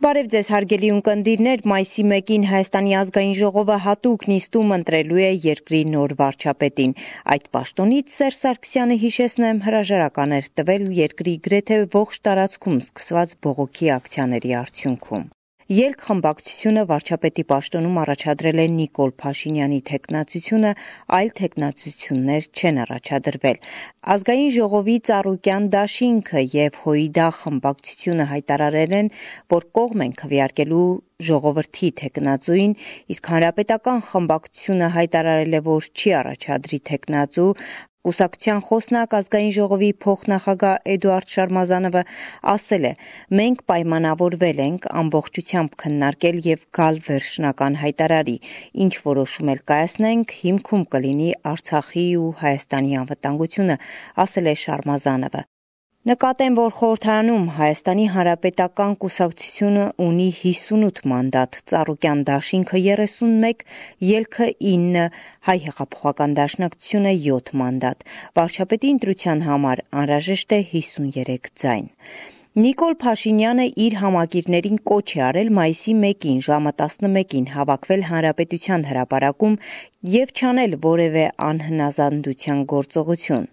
Բարև ձեզ հարգելի ունկնդիրներ, մայիսի 1-ին Հայաստանի ազգային ժողովը հատուկ նիստում ընտրելու է երկրի նոր վարչապետին։ Այդ պաշտոնից Սերժ Սարգսյանը, հիշեցնեմ, հրաժարական էր տվել երկրի գրեթե ողջ տարածքում սկսված բողոքի ակցիաների արդյունքում։ Ելք խմբակցությունը վարչապետի պաշտոնում առաջադրել է Նիկոլ Փաշինյանի թեկնածությունը, այլ թեկնածություններ չեն առաջադրվել։ Ազգային ժողովի ծառուկյան դաշինքը եւ ՀՅԴ խմբակցությունը հայտարարել են, որ կողմ են քվեարկելու ժողովրդի թեկնածուին, իսկ հանրապետական խմբակցությունը հայտարարել է, որ չի առաջադրի թեկնածու։ Կուսակցության խոսնակ ազգային ժողովի փոխնախագահ Էդուարդ Շարմազանովը ասել է. «Մենք պայմանավորվել ենք ամբողջությամբ քննարկել եւ գալ վերջնական հայտարարի, ինչ որոշում էլ կայացնենք, հիմքում կլինի Արցախի ու Հայաստանի անվտանգությունը», ասել է Շարմազանովը։ Նկատեմ, որ խորհրդարանում Հայաստանի Հանրապետական կուսակցությունը ունի 58 մանդատ, ծառուկյան դաշինքը 31, ելքը 9, Հայ հեղափոխական դաշնակցությունը 7 մանդատ։ Վարչապետի ընտրության համար անհրաժեշտ է 53 ձայն։ Նիկոլ Փաշինյանը իր համակիրներին կոչ է արել մայիսի 1-ին ժամը 11-ին հավաքվել Հանրապետության հրապարակում եւ չանել որևէ անհնազանդության գործողություն։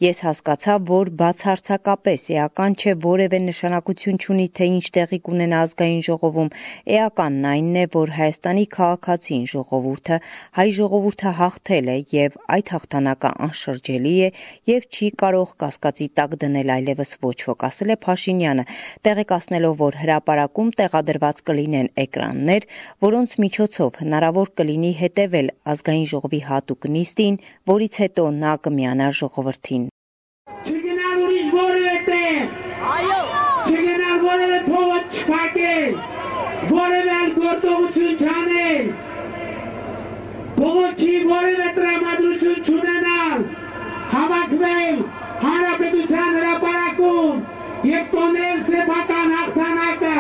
Ես հասկացա, որ բացարձակապես էական չէ, որևէ նշանակություն չունի, թե ինչ տեղի կունենա ազգային ժողովում, էականն այնն է, որ Հայաստանի քաղաքացին ժողովուրդը, հայ ժողովուրդը հաղթել է եւ այդ հաղթանակը անշրջելի է եւ չի կարող կասկածի տակ դնել այլևս ոչ ոք, ասել է Փաշինյանը, տեղեկացնելով, որ հրապարակում տեղադրված կլինեն էկրաններ, որոնց միջոցով հնարավոր կլինի հետևել ազգային ժողովի հատուկ նիստին, որից հետո նա կմիանա ժողովրդին։ Չգնալ ուրիշ որևէ տեղ, չգնալ որևէ փողոց չփակել, որևէ այլ գործողություն չանել, բողոքի որևէ տրամադրություն չունենալ, հավաքվել Հանրապետության հրապարակում եւ տոնել սեփական հաղթանակը։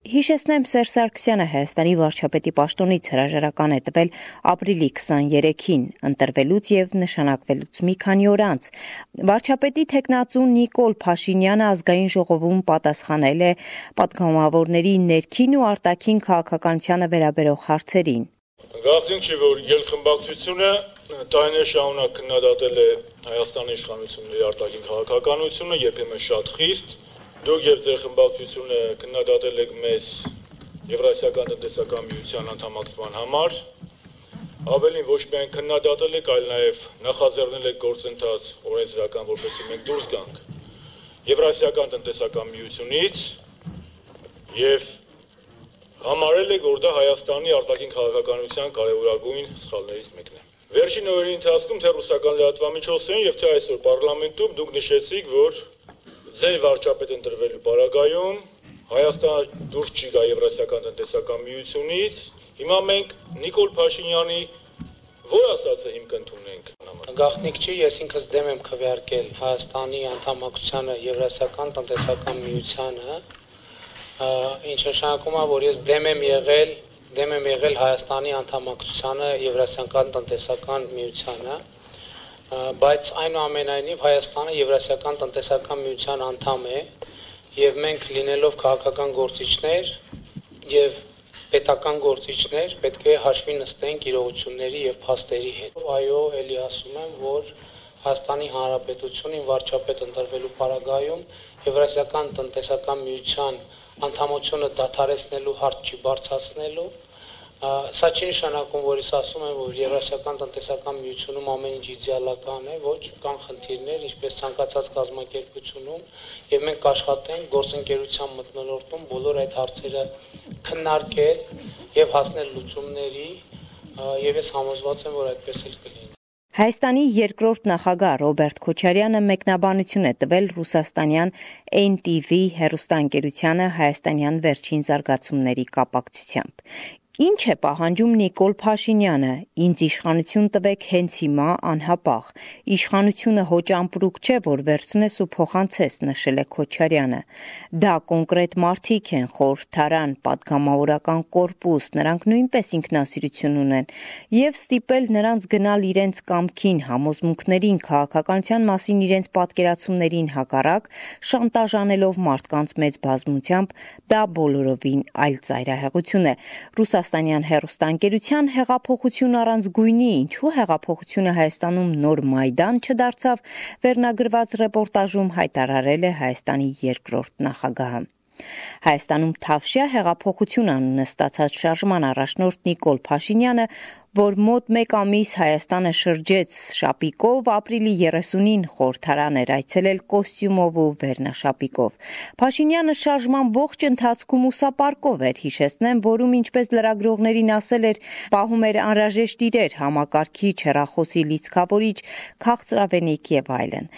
Հիշեցնեմ, Սերժ Սարգսյանը Հայաստանի վարչապետի պաշտոնից հրաժարական է տվել ապրիլի 23-ին, ընտրվելուց եւ նշանակվելուց մի քանի օր անց։ Վարչապետի թեկնածու Նիկոլ Փաշինյանը ազգային ժողովում պատասխանել է պատգամավորների ներքին ու արտաքին քաղաքականությանը վերաբերող հարցերին։ Գաղտնիք չի, որ ելխմբակցությունը տարիներ շարունակ քննադատել է Հայաստանի իշխանությունների արտաքին քաղաքականությունը, երբեմն շատ խիստ։ Դուք եւ ձեր խմբակցությունը քննադատել եք մեզ Եվրասիական տնտեսական միության անդամակցման համար, ավելին ոչ միայն քննադատել եք, այլ նաեւ նախաձեռնել եք գործընթաց օրենսդրական, որպեսզի մենք դուրս գանք Եվրասիական տնտեսական միությունից եւ համարել եք, որ դա Հայաստանի արտաքին քաղաքականության կարևորագույն սխալներից մեկն է։ Վերջին օրերի ընթացքում թե ռուսական լրատվամիջոցներին եւ թե այսօր պարլամենտում դուք նշեցիք, որ ձեր վարչապետ ընտրվելու պարագայում Հայաստանը դուրս չի գա Եվրասիական տնտեսական միությունից։ Հիմա մենք Նիկոլ Փաշինյանի որ ասածը հիմք ընդունենք։ Գաղտնիք չի, ես ինքս դեմ եմ քվեարկել Հայաստանի անդամակցությանը Եվրասիական տնտեսական միությանը, ինչ նշանակում է, որ ես դեմ եմ եղել Հայաստանի անդամակցությանը Եվրասիական տնտեսական միությանը, բայց այնուամենայնիվ Հայաստանը Եվրասիական տնտեսական միության անդամ է եւ մենք լինելով քաղաքական գործիչներ եւ պետական գործիչներ պետք է հաշվի նստենք իրողությունների եւ փաստերի հետ։ Այո, ելի ասում եմ, որ Հայաստանի Հանրապետությունին վարչապետ ընտրվելու պարագայում Եվրասիական տնտեսական միության անդամությունը դադարեցնելու հարց չի բարձրացնելու։ Սա չի նշանակում, որ ես ասում եմ, որ Եվրասիական տնտեսական միությունում ամեն ինչ իդեալական է, ոչ, կան խնդիրներ, ինչպես ցանկացած կազմակերպությունում, եւ մենք կաշխատենք գործընկերության մթնոլորտում բոլոր այդ հարցերը քննարկել եւ հասնել լուծումների, եւ ես համոզված եմ, որ այդպես էլ կլինի։ Հայաստանի երկրորդ նախագահ Ռոբերտ Քոչարյանը մեկնաբանություն է տվել ռուսաստանյան NTV հեռուստաընկերությանը հայաստանյան վերջին զարգացումների կապակցությամբ։ Ինչ է պահանջում Նիկոլ Փաշինյանը, ինձ իշխանություն տվեք հենց հիմա անհապաղ, իշխանությունը հոճ ամպրուկ չէ, որ վերցնես ու փոխանցես, նշել է Քոչարյանը, դա կոնկրետ մարդիկ են, խորհրդարան, պատգամավորական կորպուս, նրանք նույնպես ինքնասիրություն ունեն, եւ ստիպել նրանց գնալ իրենց կամքին, համոզմունքներին, քաղաքականության մասին իրենց պատկերացումներին հակառակ, շանտաժ անելով մարդկանց մեծ բազմությամբ, դա բոլորովին այլ ծայրահեղություն է, Ռուսաստանյան հեռուստաընկերության հեղափոխություն առանց գույնի, ինչու հեղափոխությունը Հայաստանում նոր Մայդան չդարձավ, վերնագրված ռեպորտաժում հայտարարել է Հայաստանի երկրորդ նախագահը։ Հայաստանում Թավշյա հեղափոխություն անունը ստացած շարժման առաջնորդ Նիկոլ Փաշինյանը, որ մոտ 1 ամիս Հայաստանը շրջեց շապիկով, ապրիլի 30-ին խորհրդարան էր այցելել կոստյումով ու վերնաշապիկով։ Փաշինյանը շարժման ողջ ընթացքում ուսապարկով էր, հիշեցնեմ, որում ինչպես լրագրողներին ասել էր, պահում էր անհրաժեշտ իրեր, համակարգիչ, հեռախոսի լիցքավորիչ, քաղցրավենիք եւ այլն։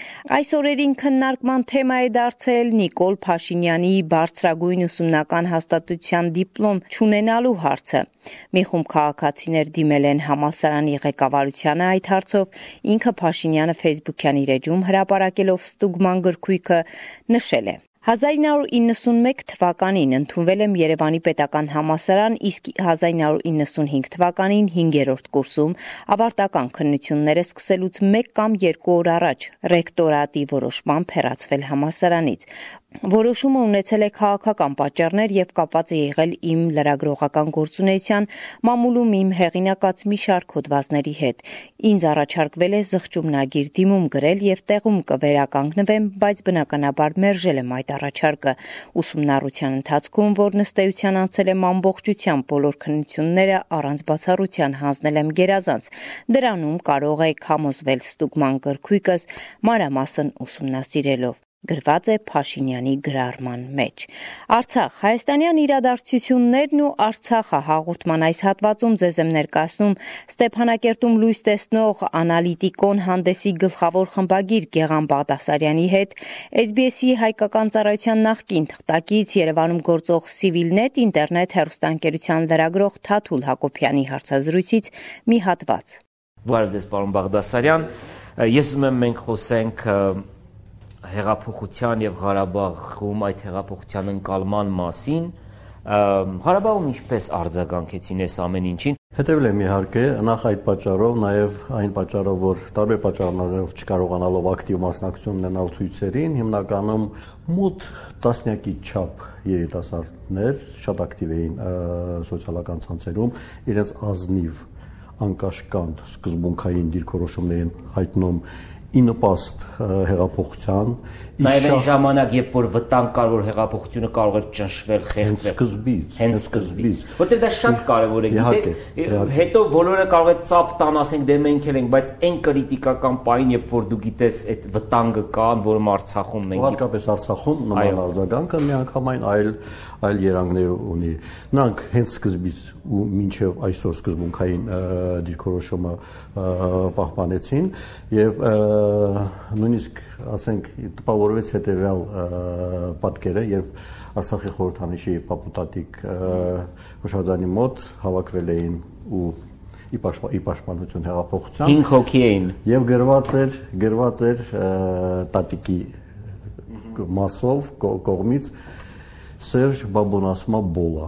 Այս օրերին քննարկման թեմա է դարձել Նիկոլ Փաշինյանի բարձրագույն ուսումնական հաստատության դիպլոմ չունենալու հարցը։ Մի խումբ քաղաքացիներ դիմել են համալսարանի ղեկավարությանը այդ հարցով, ինքը Փաշինյանը Facebook-յան իր էջում հրապարակելով ստուգման գրքույկը նշել է. 1991 թվականին ընդունվել եմ Երևանի պետական համալսարան, իսկ 1995 թվականին 5-րդ կուրսում ավարտական քննությունները սկսելուց 1 կամ 2 օր առաջ ռեկտորատի որոշմամբ հեռացվել համալսարանից։ Որոշումը ունեցել է քաղաքական պատճառներ եւ կապված է եղել իմ լրագրողական գործունեության մամուլում իմ հեղինակած մի շարք հոդվածների հետ։ Ինձ առաջարկվել է զղջումնագիր դիմում գրել եւ տեղում կվերականգնվեմ, բայց բնականաբար մերժել եմ այդ առաջարկը։ Ուսումնառության ընթացքում, որն ըստ էության անցել եմ ամբողջությամբ, բոլոր քննությունները առանց բացառության հանձնել եմ գերազանց։ Դրանում կարող եք համոզվել ստուգման գրքույկս մանրամասն ուսումնասիրելով։ Գրված է Փաշինյանի գրառման մեջ։ Արցախ, հայաստանյան իրադարձություններն ու Արցախը հաղորդման այս հատվածում ձեզ եմ ներկայացնում Ստեփանակերտում լույս տեսնող անալիտիկոն հանդեսի գլխավոր խմբագիր Գեղամ Բաղդասարյանի հետ, SBS-ի հայկական ծառայության նախկին թղթակից Երևանում գործող Civilnet ինտերնետ հեռուստաընկերության լրագրող Թաթուլ Հակոբյանի հարցազրույցից մի հատված։ Բարև ձեզ, պարոն Բաղդասարյան, ես ուզում եմ մենք խոսենք հեղափոխության եւ Ղարաբաղում այդ հեղափոխության ընկալման մասին, Ղարաբաղում ինչպես արձագանքեցին այս ամեն ինչին։ Հետևել եմ իհարկե, նախ այդ պատճառով, նաեւ այն պատճառով, որ տարբեր պատճառներով չկարողանալով ակտիվ մասնակցություն ունենալ ցույցերին, հիմնականում մոտ տասնյակի չափ երիտասարդներ շատ ակտիվ էին սոցիալական ցանցերում, իրենց ազնիվ անկաշկանդ սկզբունքային դիրքորոշումներ են հայտնում ի նպաստ հեղափոխության, Նաև այն ժամանակ, երբ որ վտանգ կար, որ հեղափոխությունը կարող էր ճնշվել, խեղդվել, հենց սկզբից, որտեղ դա շատ կարևոր է, գիտեք, հետո բոլորը կարող է ծափ տան, ասենք դե մենք էլ ենք, բայց այն կրիտիկական պահին, երբ որ դու գիտես այդ վտանգը կան, որում Արցախում մենք հատկապես Արցախում նման արձագանքը միանգամայն այլ երանգներ ունի։ Նրանք հենց սկզբից ու մինչև այսօր սկզբունքային դիրքորոշումը պահպանեցին եւ նույնիսկ ասենք տպավորվեց հետևյալ պատկերը, երբ Արցախի խորհրդանիշի պապուտատիկ հուշարձանի մոտ հավաքվել էին ու ի պաշտպանություն հեղափոխության 5 հոգի էին եւ գրված էր տատիկի մասով կողմից Սերժ Բաբոնասմա Բոլա։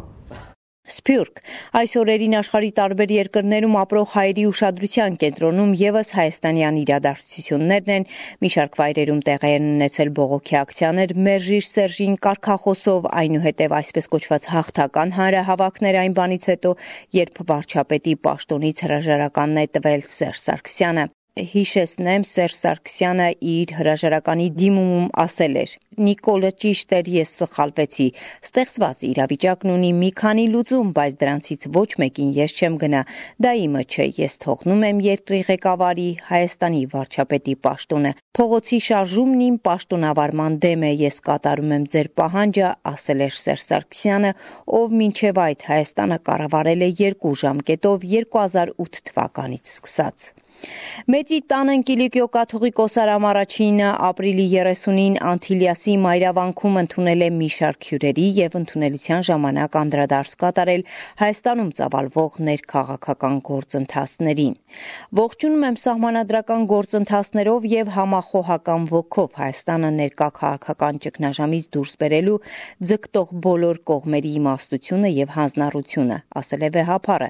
Սփյուռք այս օրերին աշխարհի տարբեր երկրներում ապրող հայերի ուշադրության կենտրոնում եւս հայաստանյան իրադարձություններն են, մի շարք վայրերում տեղի են ունեցել բողոքի ակցիաներ, մերժիր Սերժին կարգախոսով, այնուհետև այսպես կոչված հաղթական հանրահավաքներ այն բանից հետո, երբ վարչապետի պաշտոնից հրաժարականն է տվել Սերժ Սարգսյանը։ Հիշեցնեմ, Սերժ Սարգսյանը իր հրաժարականի դիմումում ասել էր. Նիկոլը ճիշտ էր, ես սխալվեցի։ Ստեղծված իրավիճակն ունի մի քանի լուծում, բայց դրանցից ոչ մեկին ես չեմ գնա։ Դա իմը չէ, ես թողնում եմ երկրի ղեկավարի Հայաստանի վարչապետի պաշտոնը։ Փողոցի շարժումն իմ պաշտոնավարման դեմ է, ես կատարում եմ ձեր պահանջը, ասել էր Սերժ Սարգսյանը, ով մինչև այդ Հայաստանը կառավարել է 2 ժամկետով 2008 թվականից սկսած։ Մեծի տանն Կիլիկիո կաթողիկոս Արամ առաջինը ապրիլի 30-ին Անտիլիասի Մայրավանքում ընդունել է մի շարք հյուրերի եւ ընդունելության ժամանակ անդրադարձ կատարել Հայաստանում ծավալվող ներքաղաքական գործընթացներին։ Ողջունում եմ սահմանադրական գործընթացներով եւ համախոհական ոգով Հայաստանը ներկա քաղաքական ճգնաժամից դուրս բերելու ձգտող բոլոր կողմերի իմաստությունը եւ հանձնառությունը, ասել է վեհապարը։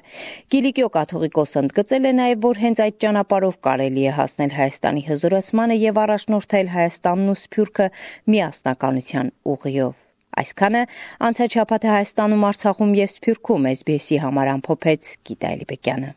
Կիլիկիո կաթողիկոսը ընդգծել է նաեւ, որ հենց այդ ճանապարհով կարելի է հասնել Հայաստանի հզորացմանը եւ առաջնորդել Հայաստանն ու Սփյուռքը միասնականության ուղիով։ Այսքանը անցած շաբաթ Հայաստանում, Արցախում եւ Սփյուռքում SBS-ի համար ամփոփեց Գիտա Էլիբեկյանը։